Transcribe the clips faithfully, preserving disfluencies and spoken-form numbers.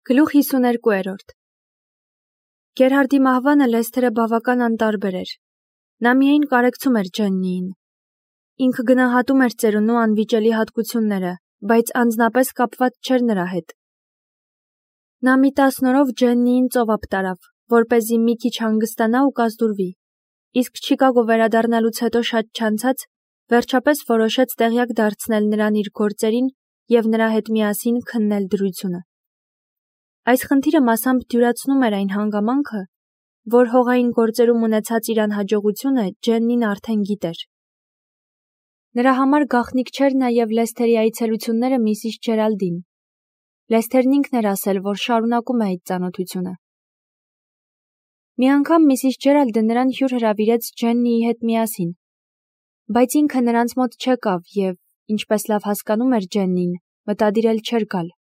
Գլուխ հիսուներկուերորդ Գերհարդի մահվանը Լեսթերը բավական անտարբեր էր. նա միայն կարեկցում էր Ջեննիին. ինքը գնահատում էր ծերունու անվիճելի հատկությունները, բայց անձնապես կապված չէր նրա հետ. նա մի տասն օրով Ջեննիին ծովափ տարավ, որպեսզի մի քիչ հանգստանա ու կազդուրվի, իսկ Չիկագո վերադառնալուց հետո շատ չանցած, վերջապես որոշեց տեղյակ դարձնել նրան իր գործերին և նրա հետ միասին քննել դրությունը. Այս խնդիրը մասամբ դյուրացնում էր այն հանգամանքը, որ հողային գործերում ունեցած իր անհաջողությունը Ջեննին արդեն գիտեր. նրա համար գաղտնիք չէր նաև Լեսթերի այցելությունները միսիս Ջերալդին. Լեսթերն ինքն էր ասել, որ շարունակում է այդ ծանոթությունը. Մի անգամ միսիս Ջերալդը նրան հյուր հրավիրեց Ջեննիի հետ միասին, բայց ինքը նրանց մոտ չեկավ և, ինչպես լավ հասկանում էր Ջեննին, մտադիր էլ չէր գալ.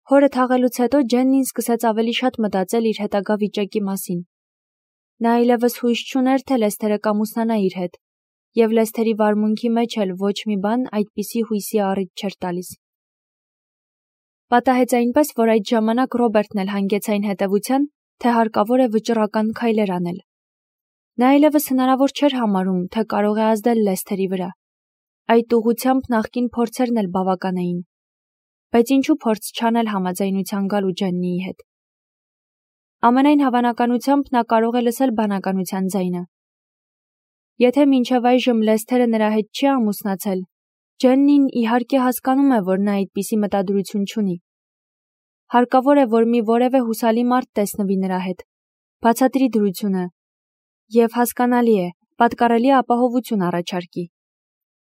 Հորը թաղելուց հետո Ջեննին սկսեց ավելի շատ մտածել իր հետագա վիճակի մասին. նա այլևս հույս չուներ, թե Լեսթերը կամուսնանա իր հետ, և Լեսթերի վարմունքի մեջ էլ ոչ մի բան այդպիսի հույսի առիթ չէր տալիս. Պատահեց այնպես, որ այդ ժամանակ Ռոբերտն էլ հանգեց այն հետևության, թե հարկավոր է վճռական քայլեր անել. նա այլևս հնարավոր չէր համարում, թե կարող է ազդել Լեսթերի վրա. այդ ուղղությամբ նախկին փորձերն էլ բավական էին, բայց ինչու փորձ չանել համաձայնության գալու Ջեննիի հետ. ամենայն հավանականությամբ նա կարող է լսել բանականության ձայնը. եթե մինչև այժմ Լեսթերը նրա հետ չի ամուսնացել, Ջեննին իհարկե հասկանում է, որ նա այդպիսի մտադրություն չունի. հարկավոր է, որ մի որևէ հուսալի մարդ տեսնվի նրա հետ, բացատրի դրությունը և հասկանալի է, պատկառելի ապահովություն առաջարկի.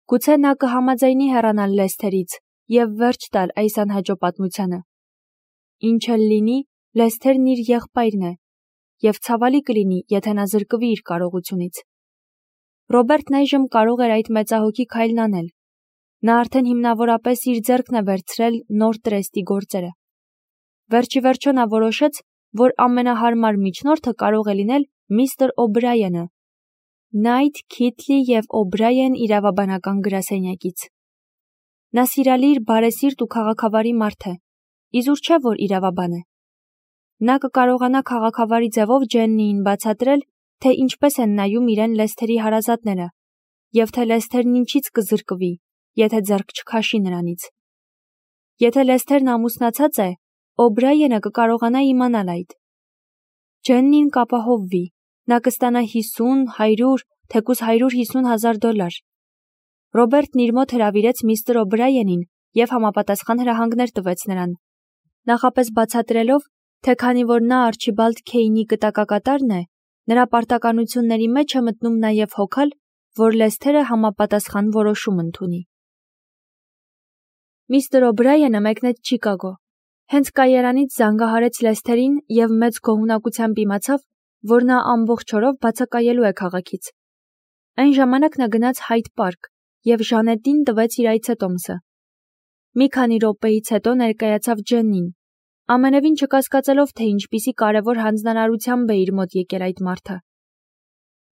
գուցե նա կհամաձայնի հեռանալ Լեսթերից և վերջ տալ այս անհաջո պատմությանը. ինչ էլ լինի, Լեսթերն իր եղբայրն է, և ցավալի կլինի, եթե նա զրկվի իր կարողությունից. Ռոբերտն այժմ կարող էր այդ մեծահոգի քայլն անել. նա արդեն հիմնավորապես իր ձեռքն է վերցրել նոր տրեստի գործերը. վերջիվերջո նա որոշեց, որ ամենահարմար միջնորդը կարող է լինել միստր Օբրայենը, Նայթ, Քիթլի և Օբրաեն իրավաբանական գրասենյակից. նա սիրալիր, բարեսիրտ ու քաղաքավարի մարդ է, իզուր չէ, որ իրավաբան է. նա կկարողանա քաղաքավարի ձևով Ջեննիին բացատրել, թե ինչպես են նայում իրեն Լեսթերի հարազատները, և թե Լեսթերն ինչից կզրկվի, եթե ձեռք չքաշի նրանից. եթե Լեսթերն ամուսնացած է, Օբրայենը կկարողանա իմանալ այդ. Ջեննին կապահովվի, նա կստանա հիսուն, հարյուր, թեկուզ հարյուր հիսուն հազար դոլար. Ռոբերտն իր մոտ հրավիրեց միստր Օբրայենին և համապատասխան հրահանգներ տվեց նրան, նախապես բացատրելով, թե քանի որ նա Արչիբալդ Քեյնի կտակակատարն է, նրա պարտականությունների մեջ է մտնում նաև հոգալ, որ Լեսթերը համապատասխան որոշում ընդունի. Միստր Օբրայենը մեկնեց Չիկագո, հենց կայարանից զանգահարեց Լեսթերին և մեծ գոհունակությամբ իմացավ, որ նա ամբողջ օրով բացակայելու է քաղաքից. այն ժամանակ նա գնաց Հայդ պարկ և Ժանետին տվեց իր այցետոմսը. մի քանի րոպեից հետո ներկայացավ Ջեննին, ամենևին չկասկածելով, թե ինչպիսի կարևոր հանձնարարությամբ է իր մոտ եկել այդ մարդը.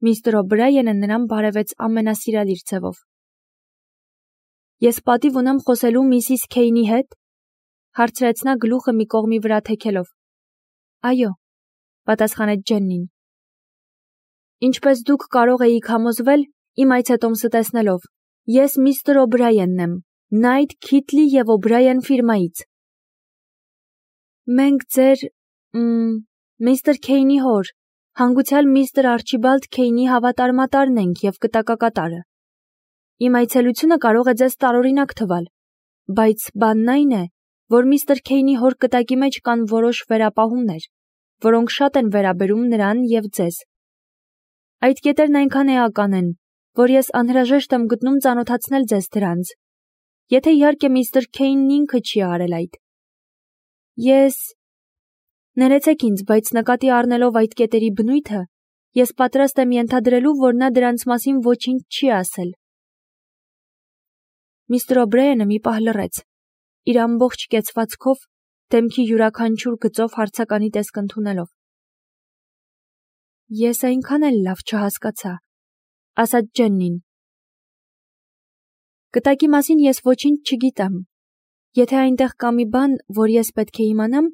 միստր Օբրայենը նրան բարևեց ամենասիրալիր ձևով. Ես պատիվ ունեմ խոսելու միսիս Քեյնի հետ, հարցրեց նա գլուխը մի կողմի վրա թեքելով. այո, պատասխանեց Ջեննին. ինչպես դուք կարող էիք համոզվել իմ այցետոմսը տեսնելով, ես միստր Օբրայենն եմ, Նայթ, Քիթլի և Օբրաեն ֆիրմայից. մենք ձեր, մ, միստր Քեյնի հոր, հանգուցյալ միստր Արչիբալդ Քեյնի հավատարմատարն ենք և կտակակատարը. իմ այցելությունը կարող է ձեզ տարօրինակ թվալ, բայց բանն այն է, որ միստր Քեյնի հոր կտակի մեջ կան որոշ վերապահումներ, որոնք շատ են վերաբերում նրան և ձեզ. այդ կետերն այնքան էական են, որ ես անհրաժեշտ եմ գտնում ծանոթացնել ձեզ դրանց, եթե իհարկե միստր Քեյնն ինքը չի արել այդ. ես, ներեցեք ինձ, բայց նկատի առնելով այդ կետերի բնույթը, ես պատրաստ եմ ենթադրելու, որ նա դրանց մասին ոչինչ չի ասել. Միստր Օբրայենը մի պահ լռեց, իր ամբողջ կեցվածքով, դեմքի յուրաքանչյուր գծով հարցականի տեսք ընդունելով. Ես այնքան էլ լավ չհասկացա, ասաց Ջեննին. կտակի մասին ես ոչինչ չգիտեմ, Եթե այնտեղ կա մի բան, որ ես պետք է իմանամ,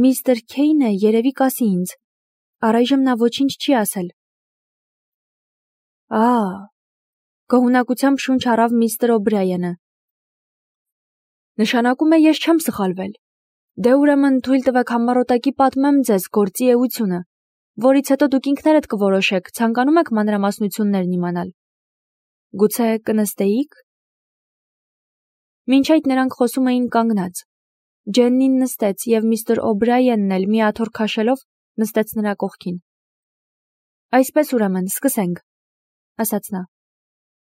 միստր Քեյնը երևի կասի ինձ։ Առայժմ նա ոչինչ չի ասել։ Ահ, գոհունակությամբ շունչ առավ միստր Օբրայենը։ Նշանակում է ես չեմ սխալվել։ Դե ուրեմն թույլ տվեք համառոտակի պատմեմ ձեզ գործի էությունը, որից հետո դուք ինքներդ կորոշեք, ցանկանում եք մանրամասնություններն իմանալ։ Գուցե կնստեիք։ Մինչ այդ նրանք խոսում էին կանգնած։ Ջեննին նստեց և միստր Օբրայենն էլ մի աթոռ քաշելով նստեց նրա կողքին։ Այսպես ուրեմն, սկսենք, ասաց նա։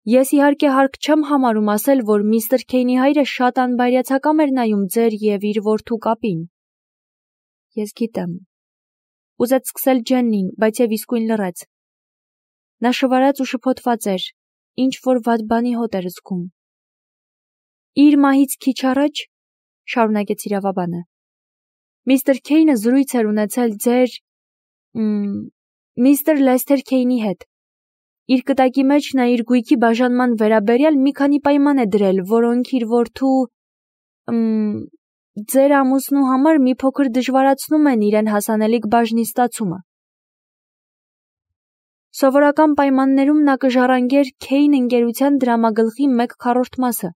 Ես իհարկե հարկ չեմ համարում ասել, որ միստր Քեյնի հայրը շատ անբայրացակամ էր նայում ձեր և իր որդու կապին։ Ես գիտեմ։ Ուզեց սկսել Ջեննին, բայց և իսկույն լռեց։ Նա շվարած ու շփոթված էր, ինչ որ վատ բանի հոտ էր զգում։ Իր մահից քիչ առաջ, շարունակեց իրավաբանը, միստր Քեյնը զրույց էր ունեցել ձեր միստր Լեսթեր Քեյնի հետ։ Իր կտակի մեջ նա իր գույքի բաժանման վերաբերյալ մի քանի պայման է դրել, որոնք իր որդու ձեր ամուսնու համար մի փոքր դժվարացնում են իրեն հասանելիք բաժնի ստացումը։ Սովորական պայմաններում նա կժառանգեր Քեյն ընկերության դրամագլխի մեկ քառորդ մասը,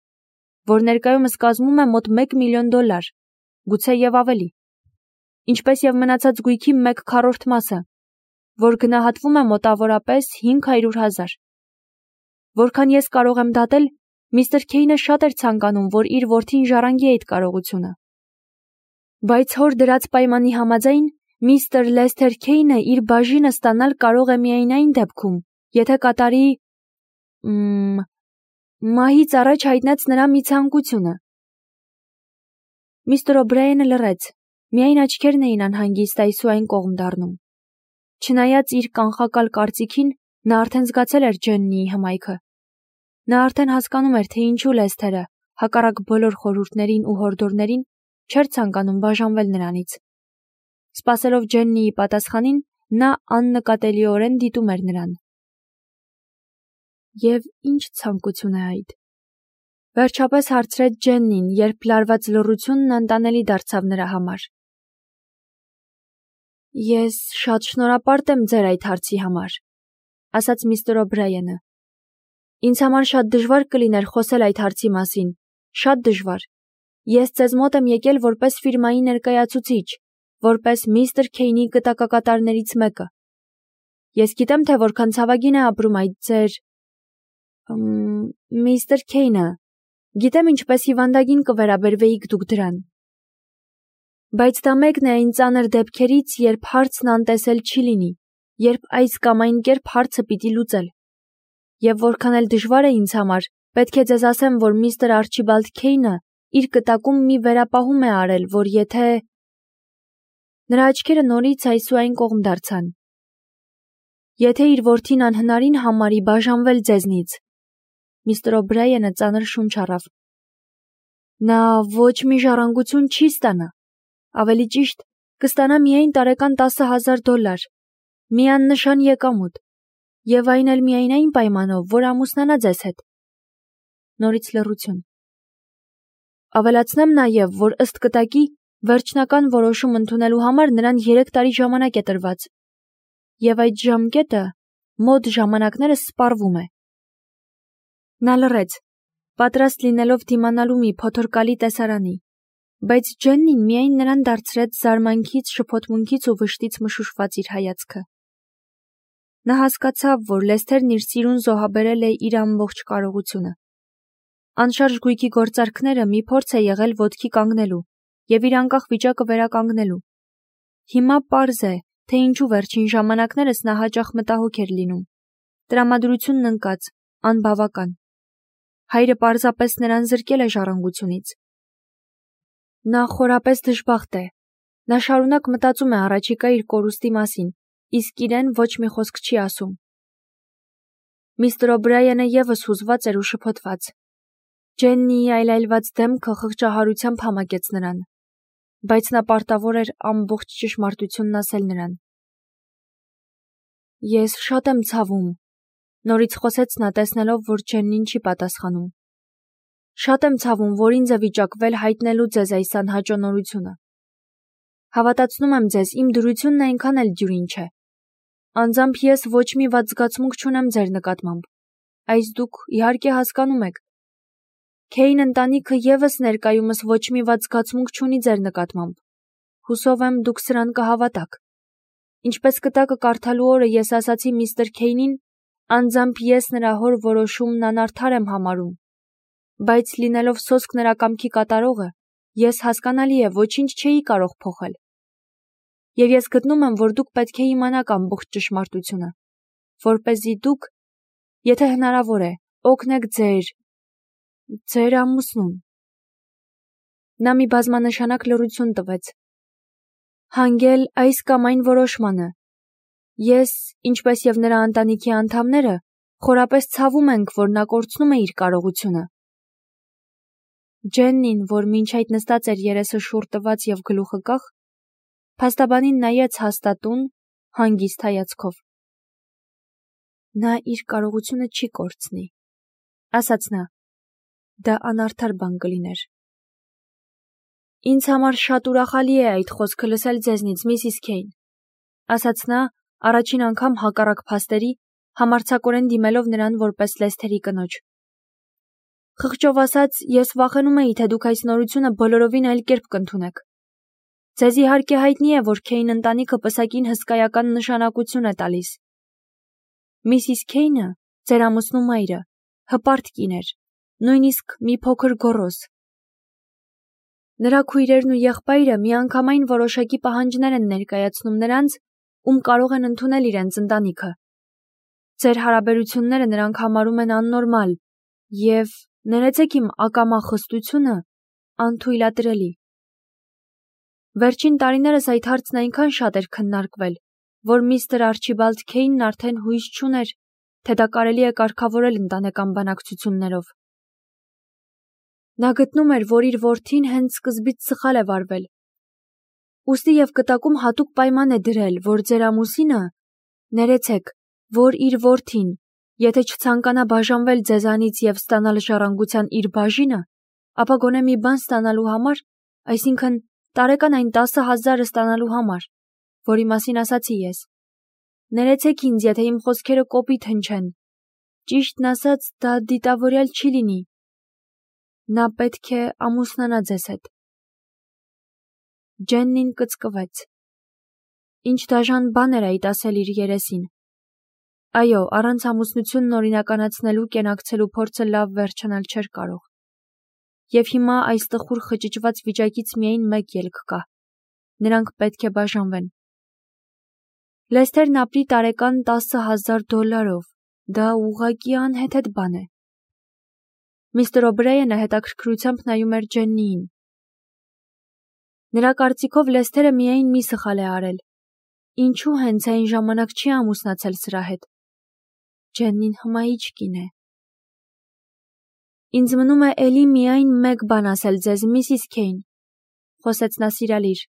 որ ներկայումս կազմում է մոտ մեկ միլիոն դոլար, գուցե և ավելի, ինչպես և մնացած գույքի մեկ քառորդ մասը, որ գնահատվում է մոտավորապես հինգ հարյուր հազար։ Որքան ես կարող եմ դատել, միստր Քեյնը շատ էր ցանկանում, որ իր որդին ժառանգի այդ կարողությունը։ Բայց հոր դրած պայմանի համաձայն, միստր Լեսթեր Քեյնը իր բաժինը ստանալ կարող է միայն այն դեպքում, եթե կատարի մահից առաջ հայտնեց նրա մի ցանկությունը։ Միստր Օբրայենը լռեց, միայն աչքերն էին անհանգիստ այս ու այն կողմ դառնում։ Չնայած իր կանխակալ կարծիքին, նա արդեն զգացել էր Ջեննիի հմայքը։ Նա արդեն հասկանում էր, թե ինչու Լեսթերը, հակառակ բոլոր խորհուրդներին ու հորդորներին, չէր ցանկանում բաժանվել նրանից։ Սպասելով Ջեննիի պատասխանին, նա աննկատելիորեն դիտում էր նրան։ Եվ ինչ ցանկություն է այդ։ Վերջապես հարցրեց Ջեննին, երբ լարված լռությունն անտանելի դարձավ նրա համար։ Ես շատ շնորհապարտ եմ ձեր այդ հարցի համար, ասաց միստր Օբրայենը։ Ինձ համար շատ դժվար կլիներ խոսել այդ հարցի մասին, շատ դժվար։ Ես ձեզ մոտ եմ եկել որպես ֆիրմայի ներկայացուցիչ, որպես միստր Քեյնի գտակակատարներից մեկը։ Ես գիտեմ, թե որքան ցավագին է ապրում այդ ձեր միստր Քեյնը, գիտեմ ինչպես հիվանդագին կվերաբերվեիք դուք դրան։ Բայց դա մեկն է այն ծանր դեպքերից, երբ հարցն անտեսել չի լինի, երբ այս կամ այն կերպ հարցը պիտի լուծել։ Եվ որքան էլ դժվար է ինձ համար, պետք է ձեզ ասեմ, որ միստր Արչիբալդ Քեյնը իր կտակում մի վերապահում է արել, որ եթե… Նրա աչքերը նորից այս ու այն կողմ դարձան։ Եթե իր որդին անհնարին համարի բաժանվել ձեզնից, միստր Օբրայենը ծանր շունչ առավ։ Նա ոչ մի ժառանգություն չի ստանա, ավելի ճիշտ, կստանա միայն տարեկան տասը հազար դոլար, մի աննշան եկամուտ, և այն էլ միայն այն պայմանով, որ ամուսնանա ձեզ հետ։ Նորից լռություն։ Ավելացնեմ նաև, որ ըստ կտակի վերջնական որոշում ընդունելու համար նրան երեք տարի ժամանակ է տրված, և այդ ժամկետը մոտ ժամանակներս սպառվում է։ Նա լռեց, պատրաստ լինելով դիմանալու մի փոթորկալի տեսարանի, բայց Ջեննին միայն նրան դարձրեց զարմանքից, շփոթմունքից ու վշտից մշուշված իր հայացքը։ Նա հասկացավ, որ Լեսթերն իր սիրուն զոհաբերել է իր ամբողջ կարողությունը։ Անշարժ գույքի գործարքները մի փորձ է եղել ոտքի կանգնելու և իր անկախ վիճակը վերականգնելու։ Հիմա պարզ է, թե ինչու վերջին ժամանակներս նա հաճախ մտահոգ էր լինում։ Տրամադրությունն ընկած, անբավական։ Հայրը պարզապես նրան զրկել է ժառանգությունից։ Նա խորապես դժբախտ է։ Նա շարունակ մտածում է առաջիկա իր կորուստի մասին, իսկ իրեն ոչ մի խոսք չի ասում։ Միստր Օբրայենը ևս հուզված էր ու շփոթված։ Ջեննիի այլայլված դեմքը խղճահարությամբ համակեց նրան, բայց նա պարտավոր էր ամբողջ ճշմարտությունն ասել նրան։ Ես շատ եմ ցավում, նորից խոսեց նա, տեսնելով, որ Ջեննին չի պատասխանում։ Շատ եմ ցավում, որ ինձ է վիճակվել հայտնելու ձեզ այս անհաճո նորությունը։ Հավատացնում եմ ձեզ, իմ դրությունն այնքան էլ դյուրին չէ։ Անձամբ ես ոչ մի վատ զգացմունք չունեմ ձեր նկատմամբ, այս դուք իհարկե հասկանում եք։ Քեյն ընտանիքը ևս ներկայումս ոչ մի վատ զգացմունք չունի ձեր նկատմամբ։ Հուսով եմ դուք սրան կհավատաք։ Ինչպես կտակը կարդալու օրը ես ասացի միստր Քեյնին, անձամբ ես նրա հոր որոշումն անարդար եմ համարում, բայց լինելով սոսկ նրա կամքի կատարողը, ես հասկանալի է ոչինչ չէի կարող փոխել։ Եվ ես գտնում եմ, որ դուք պետք է իմանաք ամբողջ ճշմարտությունը, որպեսզի դուք, եթե հնարավոր է, օգնեք ձեր ձեր ամուսնուն։ Նա մի բազմանշանակ լռություն տվեց։ Հանգել այս կամ այն որոշմանը։ Ես, ինչպես եւ նրա ընտանիքի անդամները, խորապես ցավում ենք, որ նա կորցնում է իր կարողությունը։ Ջեննին, որ մինչ այդ նստած էր երեսը շուռ տված եւ գլուխը կախ, փաստաբանին նայեց հաստատուն, հանգիստ հայացքով։ Նա իր կարողությունը չի կորցնի, ասաց նա։ Դա անարդար բան կլիներ։ Ինձ համար շատ ուրախալի է այդ խոսքը լսել ձեզնից, միսիս Քեյն, ասաց նա, առաջին անգամ հակառակ փաստերի, համարձակորեն դիմելով նրան որպես Լեսթերի կնոջ։ Խղճով ասած, ես վախենում էի, թե դուք այս նորությունը բոլորովին այլ կերպ կընդունեք։ Ձեզ իհարկե հայտնի է, որ Քեյն ընտանիքը պսակին հսկայական նշանակություն է տալիս։ Միսիս Քեյնը, ձեր ամուսնու մայրը, հպարտ կին էր, նույնիսկ մի փոքր գոռոզ։ Նրա քույրերն ու եղբայրը միանգամայն որոշակի պահանջներ են ներկայացնում նրանց, ում կարող են ընդունել իրենց ընտանիքը։ Ձեր հարաբերությունները նրանք համարում են աննորմալ եւ, ներեցեք իմ ակամա խստությունը, անթույլատրելի։ Վերջին տարիներս այդ հարցն այնքան շատ էր քննարկվել, որ միստր Արչիբալդ Քեյնն արդեն հույս չուներ, թե դա կարելի է կարգավորել ընտանեկան բանակցություններով։ Նա գտնում էր, որ իր որդին հենց սկզբից սխալ է վարվել։ Ուստի եւ կտակում հատուկ պայման է դրել, որ ձեր ամուսինը, ներեցեք, որ իր որդին, եթե չցանկանա բաժանվել ձեզանից եւ ստանալ ժառանգության իր բաժինը, ապա գոնե մի բան ստանալու համար, այսինքն տարեկան այն տասը հազարը ստանալու համար, որի մասին ասացի ես։ Ներեցեք ինձ, եթե իմ խոսքերը կոպիտ հնչեն։ Ճիշտն ասած, դա դիտավորյալ չի լինի։ Նա պետք է ամուսնանա ձեզ հետ։ Ջեննին կծկվեց։ Ինչ դաժան բան էր այդ ասել իր երեսին։ Այո, առանց ամուսնությունն օրինականացնելու կենակցելու փորձը լավ վերջանալ չէր կարող։ Եվ հիմա այս տխուր խճճված վիճակից միայն մեկ ելք կա։ Նրանք պետք է բաժանվեն։ Լեսթերն ապրի տարեկան տասը հազար դոլարով, դա ուղղակի անհեթեթ բան է։ Միստր Օբրեյենը հետաքրքրությամբ նայում էր Ջեննիին։ Նրա կարծիքով Լեսթերը միայն մի սխալ է արել։ Ինչու հենց այն ժամանակ չի ամուսնացել սրա հետ։ Ջեննին հմայիչ կին է։ Ինձ մնում է էլի միայն մեկ բան ասել ձեզ, միսիս Քեյն, խոսեց նա սիրալիր։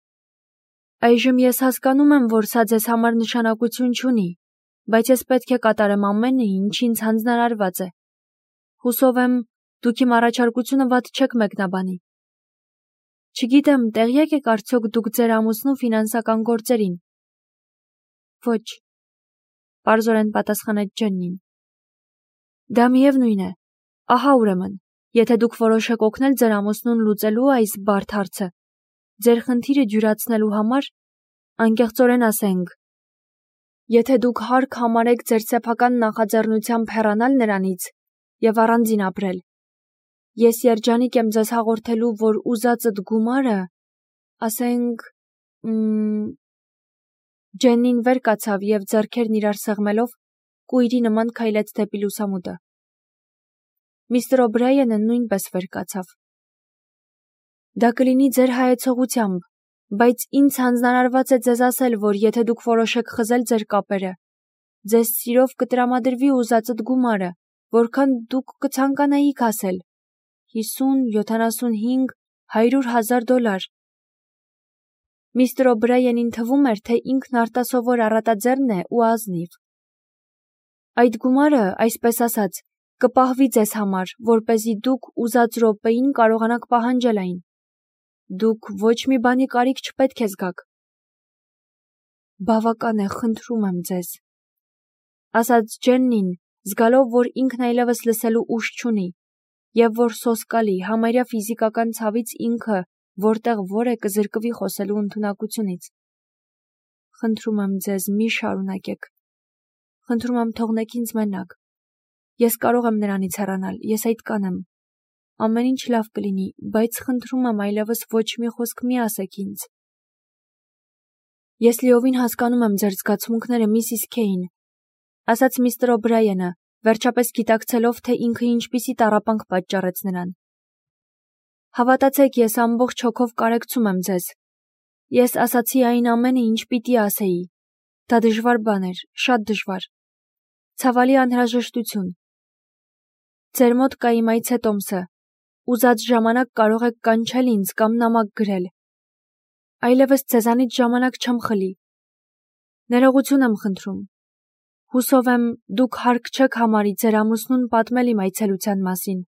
Այժմ ես հասկանում եմ, որ սա ձեզ համար նշանակություն չունի, բայց ես պետք է կատարեմ ամենը, ինչ ինձ հանձնարարված է։ Հուսով եմ, դուք իմ առաջարկությունը վատ չեք մեկնաբանի։ Չգիտեմ, տեղյակ եք արդյոք դուք ձեր ամուսնու ֆինանսական գործերին։ Ոչ, պարզորեն պատասխանեց Ջեննին։ Դա միևնույն է։ Ահա ուրեմն, եթե դուք որոշեք օգնել ձեր ամուսնուն լուծելու այս բարդ հարցը, ձեր խնդիրը դյուրացնելու համար, անկեղծորեն ասենք, եթե դուք հարկ համարեք ձեր սեփական նախաձեռնությամբ հեռանալ նրանից եւ առանձին ապրել, ես երջանիկ եմ ձեզ հաղորդելու, որ ուզածդ գումարը, ասենք, մ Ջեննին վեր կացավ եւ ձեռքերն իրար սեղմելով, կույրի նման քայլեց դեպի լուսամուտը։ Միստր Օբրեյենը նույնպես վեր կացավ։ Դա կլինի ձեր հայեցողությամբ, բայց ինձ հանձնարարված է ձեզ ասել, որ եթե դուք որոշեք խզել ձեր կապերը, ձեզ սիրով կտրամադրվի ուզածդ գումարը, որքան դուք կցանկանայիք ասել, հիսուն, յոթանասունհինգ, հարյուր հազար դոլար։ Միստր Օբրեյենին թվում էր, թե ինքն արտասովոր առատաձեռն է ու ազնիվ։ Այդ գումարը, այսպես ասած, կպահվի ձեզ համար, որպեսզի դուք ուզած րոպեին կարողանաք պահանջել այն։ Դուք ոչ մի բանի կարիք չպետք է զգաք։ Բավական է, խնդրում եմ ձեզ, ասաց Ջեննին, զգալով, որ ինքն այլևս լսելու ուժ չունի, եւ որ սոսկալի, համարյա ֆիզիկական ցավից ինքը որտեղ որ է կզրկվի խոսելու ընդունակությունից։ Խնդրում եմ ձեզ, մի շարունակեք։ Խնդրում եմ թողնեք ինձ մենակ։ Ես կարող եմ նրանից հեռանալ, ես այդքան եմ։ Ամեն ինչ լավ կլինի, բայց խնդրում եմ այլևս ոչ մի խոսք մի ասեք ինձ։ Ես լիովին հասկանում եմ ձեր զգացմունքները, միսիս Քեյն, ասաց միստր Օբրայենը, վերջապես գիտակցելով, թե ինքը ինչպիսի տառապանք պատճառեց նրան։ Հավատացեք, ես ամբողջ հոգով կարեկցում եմ ձեզ։ Ես ասացի այն ամենը, ինչ պիտի ասեի։ Դա դժվար բան էր, շատ դժվար։ Ցավալի անհրաժեշտություն։ Ձեր մոտ կա իմ այցե տոմսը։ Ուզած ժամանակ կարող եք կանչել ինձ կամ նամակ գրել։ Այլևս ձեզանից ժամանակ չեմ խլի։ Ներողություն եմ խնդրում։ Հուսով եմ, դուք հարկ չեք համարի ձեր ամուսնուն պատմել իմ այցելության մասին։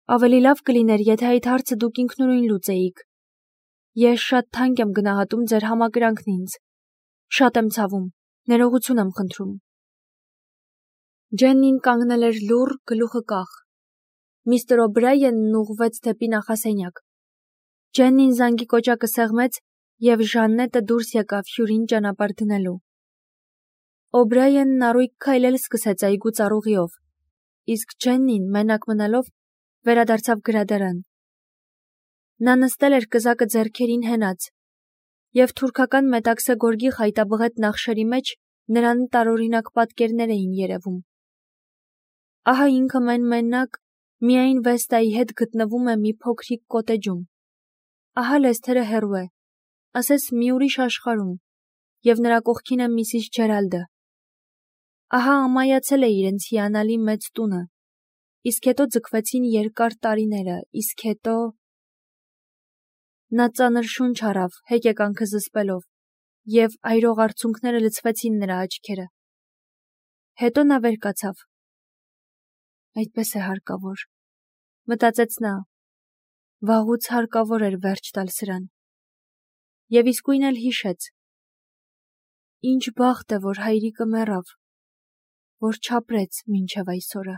Ավելի լավ կլիներ, եթե այդ հարցը դուք ինքնուրույն լուծեիք։ Ես շատ թանկ եմ գնահատում ձեր համակրանքն ինձ։ Շատ եմ ցավում։ Ներողություն եմ խնդրում։ Ջեննին կանգնել էր լուռ, գլուխը կախ։ Միստր Օբրայենն ուղղվեց դեպի նախասենյակ։ Ջեննին զանգի կոճակը սեղմեց, եւ Ժաննետը դուրս եկավ հյուրին ճանապարհ դնելու։ Օբրայենն առույգ քայլել սկսեց այգու ծառուղիով, իսկ Ջեննին, մենակ մնալով, վերադարձավ գրադարան։ Նա նստել էր կզակը ձեռքերին հենած, եւ թուրքական մետաքսե գորգի խայտաբղետ նախշերի մեջ նրան տարօրինակ պատկերներ էին երևում։ Ահա ինքը մեն-մենակ միայն Վեստայի հետ գտնվում է մի փոքրիկ կոտեջում։ Ահա Լեսթերը հեռու է, ասես մի ուրիշ աշխարհում, եւ նրա կողքին է միսիս Ջերալդը։ Ահա ամայացել է իրենց հիանալի մեծ տունը, իսկ հետո ձգվեցին երկար տարիները, իսկ հետո… Նա ծանր շունչ առավ, հեկեկանքը զսպելով, եւ այրող արցունքները լցվեցին նրա աչքերը։ Հետո նա վեր կացավ։ Այդպես է հարկավոր, մտածեց նա, վաղուց հարկավոր էր վերջ տալ սրան։ Եվ իսկույն էլ հիշեց. Ինչ բախտ է, որ հայրիկը մեռավ, որ չապրեց մինչև այսօրը։